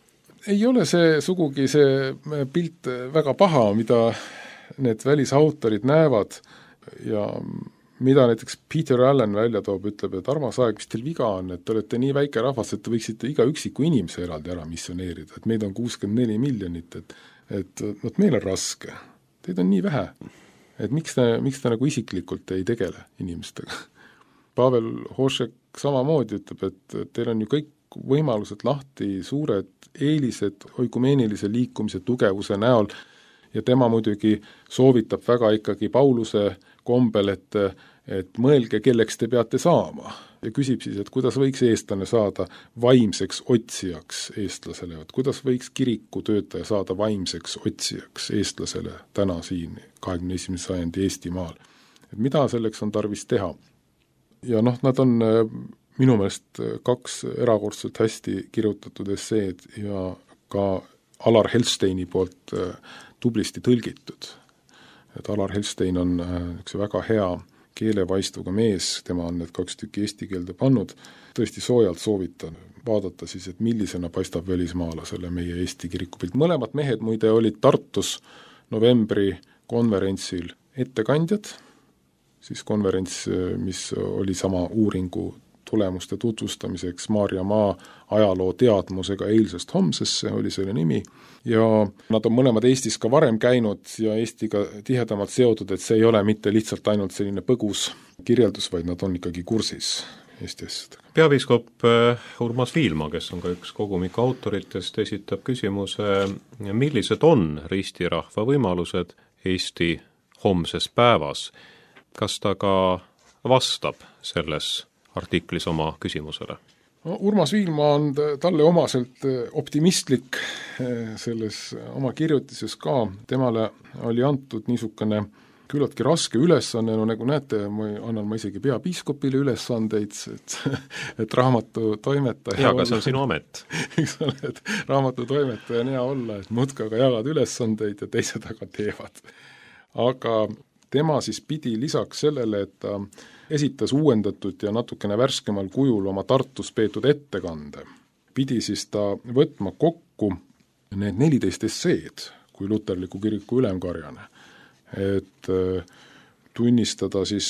Ei ole see sugugi see pilt väga paha, mida need välisautorid näevad ja mida näiteks Peter Allen välja toob, ütleb, et armas aeg, mis teil viga on, et te olete nii väike rahvas, et te võiksite iga üksiku inimese eraldi ära missioneerida, et meid on 64 miljonit, et meil on raske, teid on nii vähe, et miks te nagu isiklikult ei tegele inimestega. Pavel Hošek samamoodi ütleb, et teil on ju kõik võimalused lahti, suured eelised oikumeenilise liikumise tugevuse näol ja tema muidugi soovitab väga ikkagi Pauluse kombel, et mõelge, kelleks te peate saama. Ja küsib siis, et kuidas võiks eestlane saada vaimseks otsijaks eestlasele, et kuidas võiks kirikutöötaja saada vaimseks otsijaks eestlasele täna siin 21. sajandi Eestimaal. Et mida selleks on tarvis teha? Ja nad on minu meelest 2 erakordselt hästi kirjutatud esseed ja ka Alar Helsteini poolt tublisti tõlgitud. Et Alar Helstein on üks väga hea keelevaistuga mees, tema on need 2 tükki eesti keelde pannud, tõesti soojalt soovitan vaadata siis, et millisena paistab välismaalasele meie Eesti kirikupilt. Mõlemad mehed muide olid Tartus novembri konverentsil ettekandjad, siis konverents, mis oli sama uuringu tulemuste tutvustamiseks Maarja Maa ajaloo teadmusega eilsest homsesse, oli selle nimi, ja nad on mõlemad Eestis ka varem käinud ja Eestiga tihedamalt seotud, et see ei ole mitte lihtsalt ainult selline põgus kirjeldus, vaid nad on ikkagi kursis Eesti asjadega. Peapiiskop Urmas Viilma, kes on ka üks kogumiku autoritest, esitab küsimuse, millised on ristirahva võimalused Eesti homses päevas. Kas ta ka vastab selles artiklis oma küsimusele? No, Urmas Viilma on talle omaselt optimistlik selles oma kirjutises ka. Temale oli antud niisugune küllaltki raske ülesanne, no nagu näete, annan ma isegi peapiiskopile ülesandeid, et raamatu toimetaja jaa, aga see on sinu amet. Eks ole, et raamatu toimetaja on hea olla, et muudkui aga jagad ülesandeid ja teised aga teevad. Aga tema siis pidi lisaks sellele, et ta esitas uuendatud ja natukene värskemal kujul oma Tartus peetud ettekande, pidi siis ta võtma kokku need 14 esseed kui luterliku kiriku ülemkarjane, et tunnistada siis,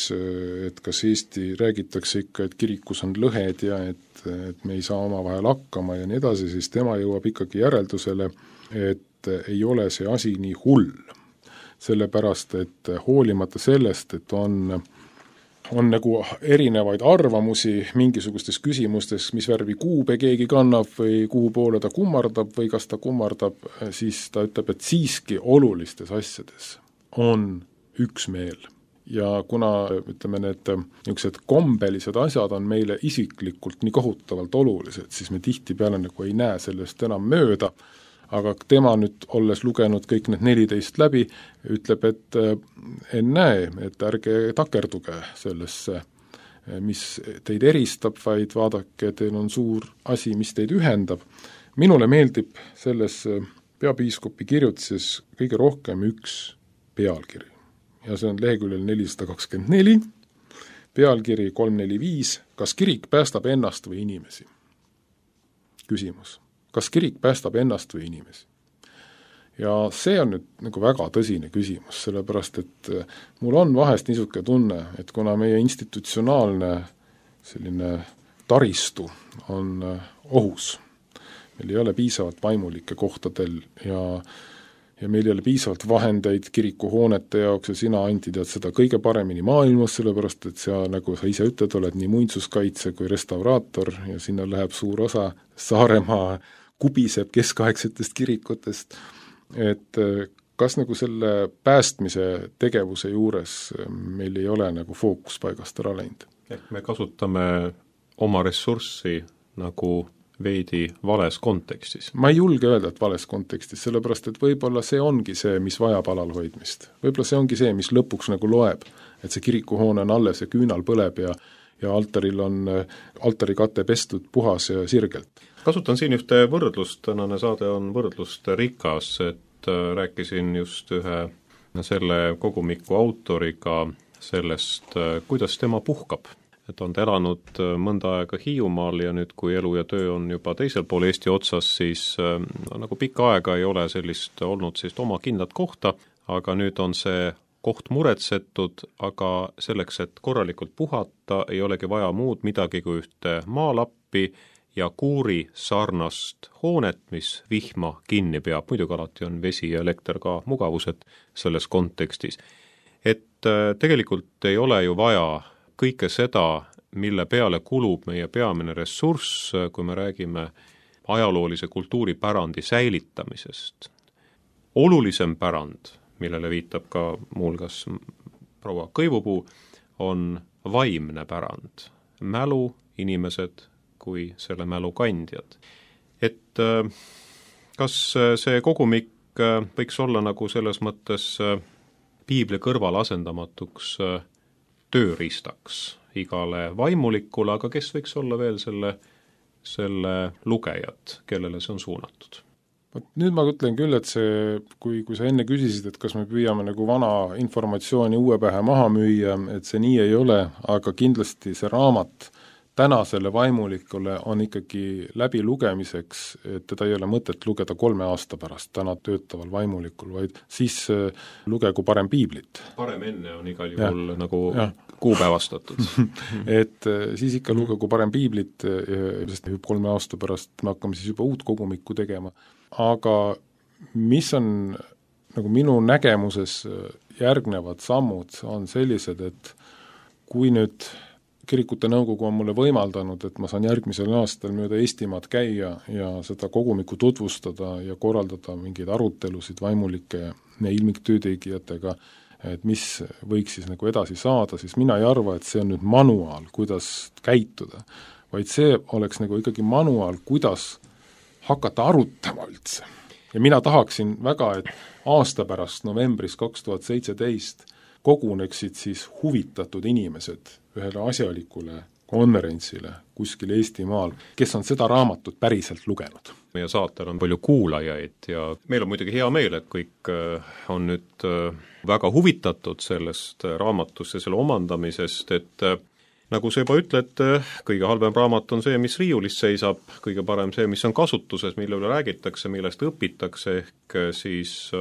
et kas Eesti räägitakse ikka, et kirikus on lõhed ja et me ei saa omavahel hakkama ja nii edasi, siis tema jõuab ikkagi järeldusele, et ei ole see asi nii hull. Sellepärast, et hoolimata sellest, et on nagu erinevaid arvamusi mingisugustes küsimustes, mis värvi kuube keegi kannab või kuhu poole ta kummardab või kas ta kummardab, siis ta ütleb, et siiski olulistes asjades on üksmeel. Ja kuna, ütleme, need niisugused kombelised asjad on meile isiklikult nii kohutavalt olulised, siis me tihtipeale nagu ei näe sellest enam mööda, aga tema nüüd, olles lugenud kõik need 14 läbi, ütleb, et näe, et ärge takerduge sellesse, mis teid eristab, vaid vaadake, teil on suur asi, mis teid ühendab. Minule meeldib selles peapiiskopi kirjutises kõige rohkem üks pealkiri. Ja see on leheküljel 424, pealkiri 345, kas kirik päästab ennast või inimesi? Küsimus. Kas kirik päästab ennast või inimesi? Ja see on nüüd nagu väga tõsine küsimus, sellepärast et mul on vahest niisugune tunne, et kuna meie institutsionaalne selline taristu on ohus, meil ei ole piisavalt vaimulikke kohtadel ja meil ei ole piisavalt vahendeid kirikuhoonete jaoks ja sina, Anti, tead seda kõige paremini maailmas, sellepärast et sa, nagu sa ise ütled, oled nii muinsuskaitse kui restauraator ja sinna läheb suur osa Saaremaa kubiseb keskaegsetest kirikutest, et kas nagu selle päästmise tegevuse juures meil ei ole nagu fookus paigast ära läinud? Ehk me kasutame oma ressurssi nagu veidi vales kontekstis. Ma ei julge öelda, et vales kontekstis, sellepärast et võib-olla see ongi see, mis vajab alalhoidmist. Võib-olla see ongi see, mis lõpuks nagu loeb, et see kirikuhoone on alles ja küünal põleb ja altaril on altarikate pestud puhas ja sirgelt. Kasutan siin ühte võrdlust, tänane saade on võrdlust rikas, et rääkisin just ühe selle kogumiku autoriga sellest, kuidas tema puhkab. Et on ta elanud mõnda aega Hiiumaal ja nüüd, kui elu ja töö on juba teisel pool Eesti otsas, siis nagu pikka aega ei ole olnud oma kindlat kohta, aga nüüd on see koht muretsetud, aga selleks, et korralikult puhata, ei olegi vaja muud midagi kui ühte maalappi ja kuuri sarnast hoonet, mis vihma kinni peab. Muidugi alati on vesi ja elekter ka mugavused selles kontekstis. Et tegelikult ei ole ju vaja kõike seda, mille peale kulub meie peamine ressurss, kui me räägime ajaloolise kultuuripärandi säilitamisest. Olulisem pärand, millele viitab ka muuhulgas proua Kõivupuu, on vaimne pärand, mälu, inimesed kui selle mälu kandjad. Et kas see kogumik võiks olla nagu selles mõttes piibli kõrval asendamatuks tööriistaks igale vaimulikule, aga kes võiks olla veel selle lugejad, kellele see on suunatud? Nüüd ma ütlen küll, et see, kui sa enne küsisid, et kas me püüame nagu vana informatsiooni uue pähe maha müüa, et see nii ei ole, aga kindlasti see raamat tänasele vaimulikule on ikkagi läbi lugemiseks, et teda ei ole mõtet lugeda 3 aasta pärast täna töötaval vaimulikul, vaid siis lugegu parem piiblit. Parem enne on igal juhul nagu kuupäevastatud. Et siis ikka lugegu parem piiblit, sest 3 aasta pärast me hakkame siis juba uut kogumikku tegema. Aga mis on nagu minu nägemuses järgnevad sammud on sellised, et kui nüüd kirikute nõukogu on mulle võimaldanud, et ma saan järgmisel aastal mööda Eestimaad käia ja seda kogumikku tutvustada ja korraldada mingeid arutelusid vaimulike ja ilmiktöötegijatega, et mis võiks siis nagu edasi saada, siis mina ei arva, et see on nüüd manuaal, kuidas käituda, vaid see oleks nagu ikkagi manuaal, kuidas hakata arutama üldse. Ja mina tahaksin väga, et aasta pärast novembris 2017 koguneksid siis huvitatud inimesed ühele asjalikule konverentsile kuskil Eestimaal, kes on seda raamatut päriselt lugenud. Meie saatel on palju kuulajaid ja meil on muidugi hea meel, et kõik on nüüd väga huvitatud sellest raamatust ja selle omandamisest, et nagu sa juba ütled, kõige halvem raamat on see, mis riiulis seisab, kõige parem see, mis on kasutuses, mille üle räägitakse, millest õpitakse, ehk siis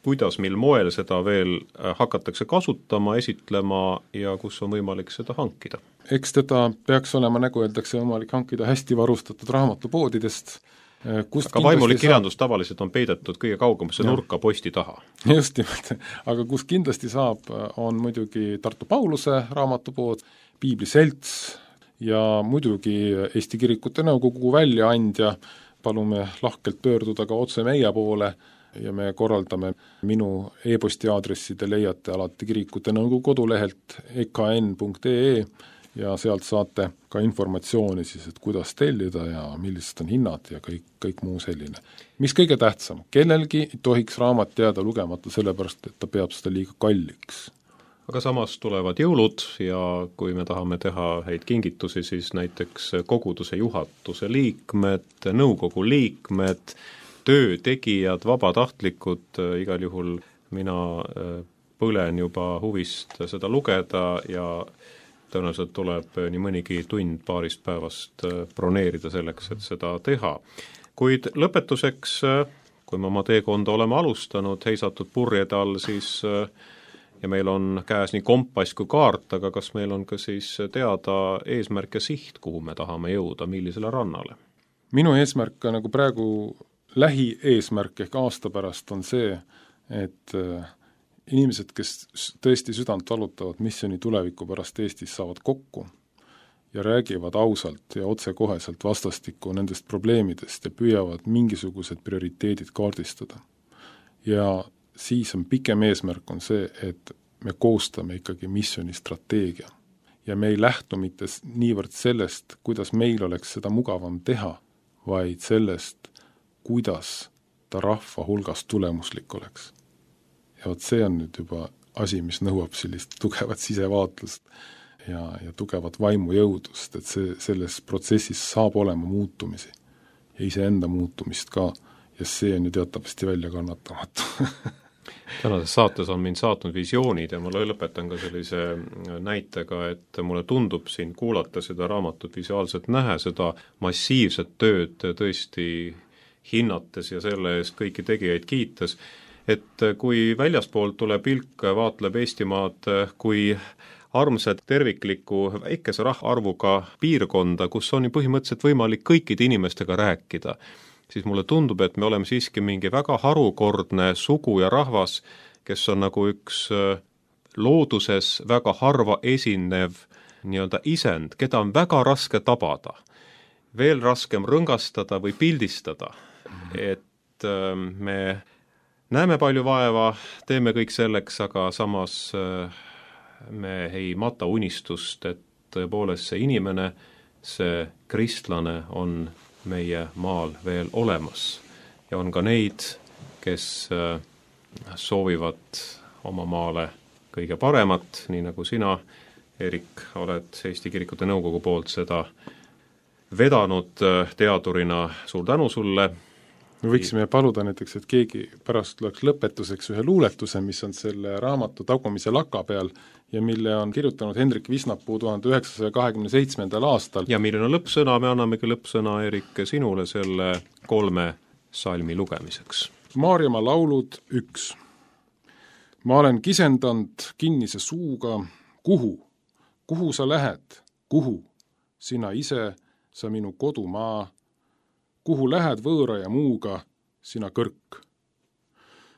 kuidas, mil moel seda veel hakatakse kasutama, esitlema ja kus on võimalik seda hankida. Eks teda peaks olema, nagu öeldakse, võimalik hankida hästi varustatud raamatupoodidest, aga vaimulik kirjandus tavaliselt on peidetud kõige kaugemasse nurka posti taha. Just nimelt, aga kus kindlasti saab, on muidugi Tartu Pauluse raamatupood, Piibli Selts ja muidugi Eesti Kirikute Nõukogu väljaandja, palume lahkelt pöörduda ka otse meie poole ja me korraldame minu e-posti aadressi, te leiate alati Kirikute Nõukogu kodulehelt ekn.ee ja sealt saate ka informatsiooni siis, et kuidas tellida ja millised on hinnad ja kõik muu selline. Mis kõige tähtsam, kellelgi ei tohiks raamat jääda lugemata sellepärast, et ta peab seda liiga kalliks. Aga samas tulevad jõulud ja kui me tahame teha häid kingitusi, siis näiteks koguduse juhatuse liikmed, nõukogu liikmed, töötegijad, vabatahtlikud, igal juhul mina põlen juba huvist seda lugeda ja tõenäoliselt tuleb nii mõnigi tund paarist päevast broneerida selleks, et seda teha. Kuid lõpetuseks, kui me oma teekonda oleme alustanud, heisatud purjede all, siis ja meil on käes nii kompass kui kaart, aga kas meil on ka siis teada eesmärk ja siht, kuhu me tahame jõuda, millisele rannale? Minu eesmärk nagu praegu lähieesmärk ehk aasta pärast on see, et inimesed, kes tõesti südant valutavad missiooni tuleviku pärast Eestis, saavad kokku ja räägivad ausalt ja otsekoheselt vastastikku nendest probleemidest ja püüavad mingisugused prioriteedid kaardistada. Ja siis on pikem eesmärk on see, et me koostame ikkagi missiooni strateegia ja me ei lähtu mitte niivõrd sellest, kuidas meil oleks seda mugavam teha, vaid sellest, kuidas ta rahva hulgas tulemuslik oleks. Ja vot see on nüüd juba asi, mis nõuab sellist tugevat sisevaatlust ja tugevat vaimujõudust, et selles protsessis saab olema muutumisi ja iseenda muutumist ka ja see on ju teatavasti välja kannatamatu. Tänases saates on mind saatnud visioonid ja ma lõpetan ka sellise näitega, et mulle tundub siin kuulata seda raamatut visuaalselt nähe, seda massiivset tööd tõesti hinnates ja selle eest kõiki tegijaid kiites, et kui väljaspoolt tuleb pilk, vaatleb Eestimaad kui armsat terviklikku väikese rahvaarvuga piirkonda, kus on ju põhimõtteliselt võimalik kõikide inimestega rääkida, siis mulle tundub, et me oleme siiski mingi väga harukordne sugu ja rahvas, kes on nagu üks looduses väga harva esinev nii-öelda isend, keda on väga raske tabada, veel raskem rõngastada või pildistada, et me näeme palju vaeva, teeme kõik selleks, aga samas me ei mata unistust, et tõepoolest see inimene, see kristlane on meie maal veel olemas ja on ka neid, kes soovivad oma maale kõige paremat, nii nagu sina, Erik, oled Eesti Kirikute Nõukogu poolt seda vedanud teadurina, suur tänu sulle. Me võiksime paluda näiteks, et keegi pärast tuleks lõpetuseks ühe luuletuse, mis on selle raamatu tagumise laka peal ja mille on kirjutanud Hendrik Visnapuu 1927. aastal. Ja milline on lõppsõna, me annamegi lõppsõna, Erik, sinule selle 3 salmi lugemiseks. Maarjamaa laulud 1. Ma olen kisendanud kinnise suuga, kuhu sa lähed, kuhu, sina ise, sa minu kodumaa, kuhu lähed võõra ja muuga, sina kõrk.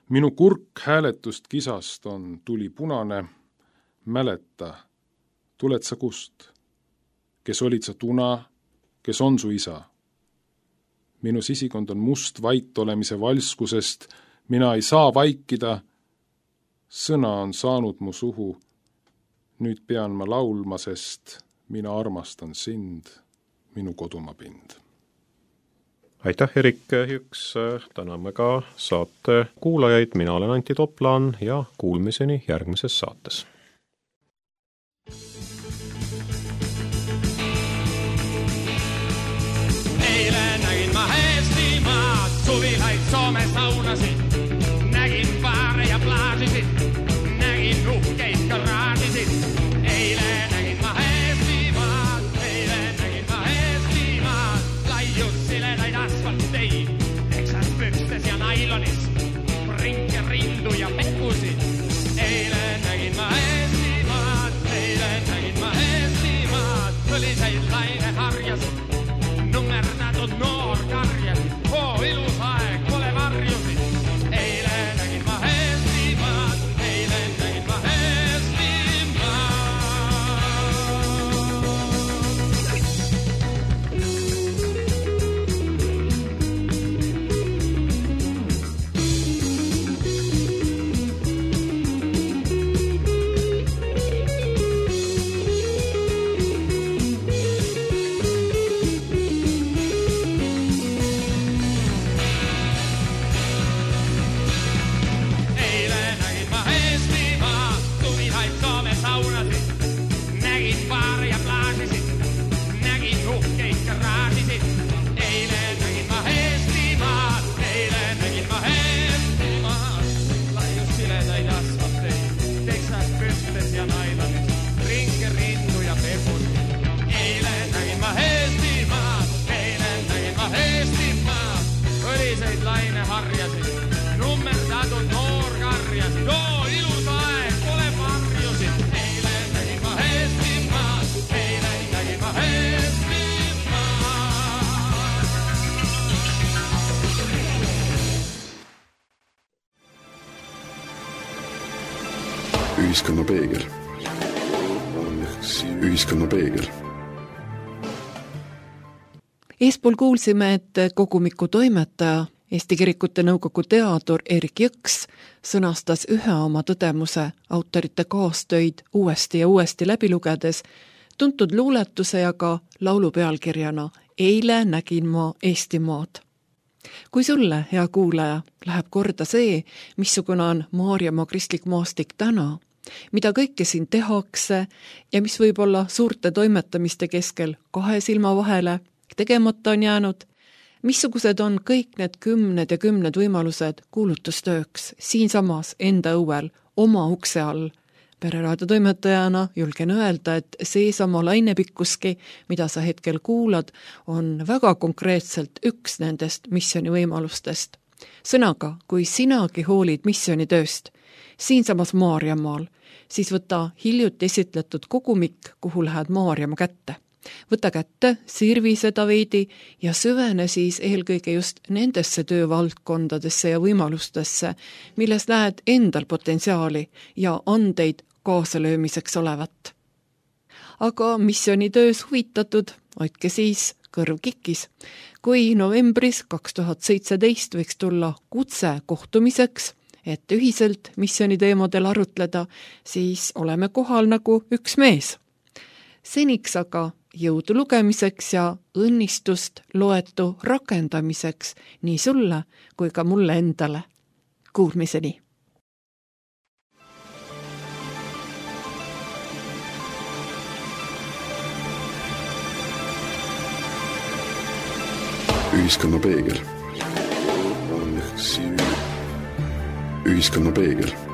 Minu kurk hääletust kisast on tuli punane, mäleta, tuled sa kust? Kes olid sa tuna, kes on su isa? Minu sisikond on must vait olemise valskusest, mina ei saa vaikida, sõna on saanud mu suhu, nüüd pean ma laulma, sest mina armastan sind, minu kodumaa pind. aitäh, Erik Jüks, täname ka saate kuulajaid, mina olen Antti Toplaan ja kuulmiseni järgmises saates. Eile nägin ma Eestimaad, suvilaid Soome saunasid, nägin baare ja plaasisid, nägin uhkeid garaažisid. Eile nägin ma Eestimaad, laius siledaid asfalteid, teksaspükstes ja nailonis, rinke, rindu ja pekusid. Eile nägin ma Eestimaad, põliseid laineharjasid, nummerdatud noorkarjad, ilus aeg, pole varjusid. Eile nägin ma Eestimaad, Ühiskonna peegel. Ühiskonna peegel. Eespool kuulsime, et kogumiku toimetaja, Eesti Kirikute Nõukogu teadur Erik Jõks sõnastas ühe oma tõdemuse autorite kaastöid uuesti ja uuesti läbi lugedes, tuntud luuletuse ja ka laulu pealkirjana Eile nägin ma Eestimaad. Kui sulle, hea kuulaja, läheb korda see, missugune on Maarjamaa kristlik maastik täna, mida kõike siin tehakse ja mis võib olla suurte toimetamiste keskel 2 silma vahele tegemata on jäänud, missugused on kõik need 10 ja 10 võimalused kuulutustööks siinsamas enda õuel, oma ukse all. Pereraadio toimetajana julgen öelda, et seesama lainepikkuski, mida sa hetkel kuulad, on väga konkreetselt üks nendest missiooni võimalustest. Sõnaga, kui sinagi hoolid missioonitööst siinsamas Maarjamaal, siis võta hiljuti esitletud kogumik, kuhu lähed Maarjamaa kätte. Võta kätte, sirvi seda veidi ja süvene siis eelkõige just nendesse töövaldkondadesse ja võimalustesse, milles näed endal potentsiaali ja andeid kaasalöömiseks olevat. Aga missioonitöös huvitatud, hoidke siis kõrv kikis. Kui novembris 2017 võiks tulla kutse kohtumiseks, et ühiselt missiooniteemadel arutleda, siis oleme kohal nagu üks mees. Seniks aga jõudu lugemiseks ja õnnistust loetu rakendamiseks nii sulle kui ka mulle endale. Kuulmiseni! Ühiskonna peegel. Ühiskonna peegel.